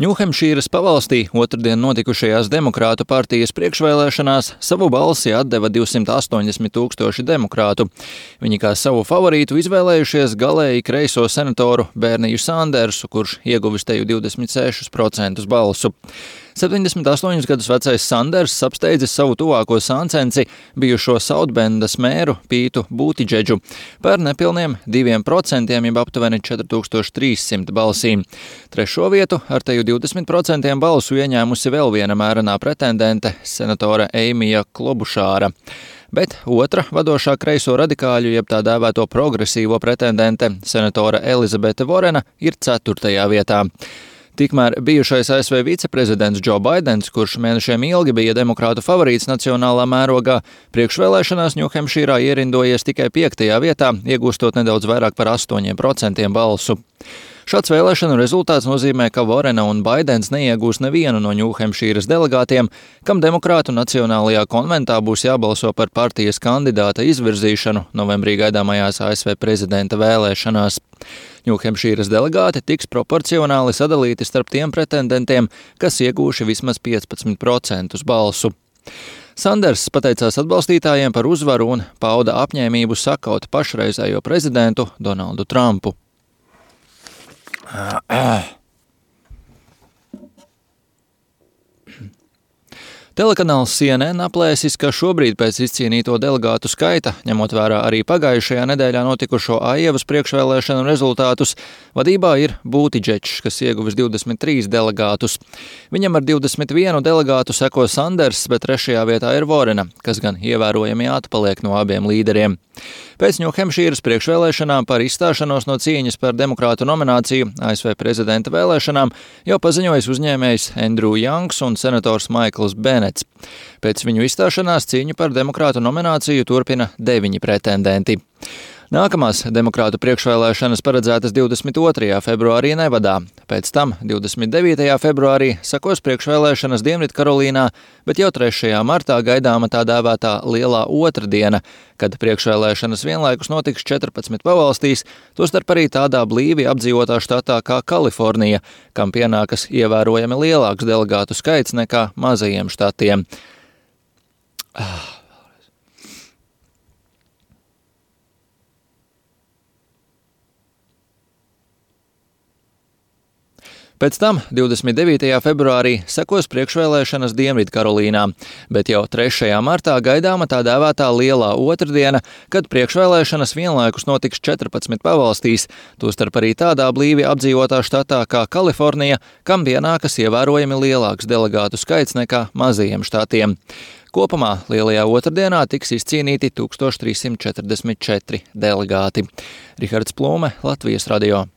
Ņūhempšīras pavalstī otrdien notikušajās Demokrātu partijas priekšvēlēšanās savu balsi atdeva 280 000 demokrātu. Viņi kā savu favorītu izvēlējušies galēji kreiso senatoru Berniju Sandersu, kurš ieguvis teju 26% balsu. 78 gadus vecais Sanders apsteidzis savu tuvāko sāncensi, bijušo Sautbendas mēru Pītu Būtiģedžu, par nepilniem 2%, jeb aptuveni 4300 balsīm. Trešo vietu ar teju 20% balsu ieņēmusi vēl viena mērenā pretendente, senatore Eimija Klobušāra. Bet otra vadošā kreiso radikāļu, jeb tā dēvēto progresīvo pretendente, senatore Elizabete Vorena, ir 4. vietā. Tikmēr bijušais ASV viceprezidents Džo Baidens, kurš mēnešiem ilgi bija demokrātu favorīts nacionālā mērogā, priekšvēlēšanās Ņūhempšīrā ierindojies tikai 5. vietā, iegūstot nedaudz vairāk par 8% balsu. Šāds vēlēšanu rezultāts nozīmē, ka Vorena un Baidens neiegūs nevienu no Ņūhempšīras delegātiem, kam demokrātu nacionālajā konventā būs jābalso par partijas kandidāta izvirzīšanu novembrī gaidāmajās ASV prezidenta vēlēšanās. Ņūhempšīras delegāti tiks proporcionāli sadalīti starp tiem pretendentiem, kas iegūši vismaz 15% balsu. Sanders pateicās atbalstītājiem par uzvaru un pauda apņēmību sakaut pašreizējo prezidentu Donaldu Trumpu. Telekanāls CNN aplēsis, ka šobrīd pēc izcīnīto delegātu skaita, ņemot vērā arī pagājušajā nedēļā notikušo Aievas priekšvēlēšanu rezultātus, vadībā ir Būtiģedžs, kas ieguvis 23 delegātus. Viņam ar 21 delegātu seko Sanders, bet 3. vietā ir Vorena, kas gan ievērojami atpaliek no abiem līderiem. Pēc Ņūhempšīras priekšvēlēšanām par izstāšanos no cīņas par demokrātu nomināciju ASV prezidenta vēlēšanām jau paziņojis uzņēmējs Andrew Youngs un senators Maikls Benets. Pēc viņu izstāšanās cīņu par demokrātu nomināciju turpina 9 pretendenti. Nākamās demokrātu priekšvēlēšanas paredzētas 22. februārī Nevadā. Pēc tam 29. februārī sekos priekšvēlēšanas Dienvidkarolīnā, bet jau 3. martā gaidāma tā dēvētā Lielā otrdiena, kad priekšvēlēšanas vienlaikus notiks 14 pavalstīs, tostarp arī tādā blīvi apdzīvotā štatā kā Kalifornija, kam pienākas ievērojami lielāks delegātu skaits nekā mazajiem štatiem. Pēc tam 29. februārī sekos priekšvēlēšanas Dienvidkarolīnā, bet jau 3. martā gaidāma tā dēvētā Lielā otrdiena, kad priekšvēlēšanas vienlaikus notiks 14 pavalstīs, tostarp arī tādā blīvi apdzīvotā štatā kā Kalifornija, kam pienākas ievērojami lielāks delegātu skaits nekā mazajiem štatiem. Kopumā Lielajā otrdienā tiks izcīnīti 1344 delegāti. Rihards Plūme, Latvijas radio.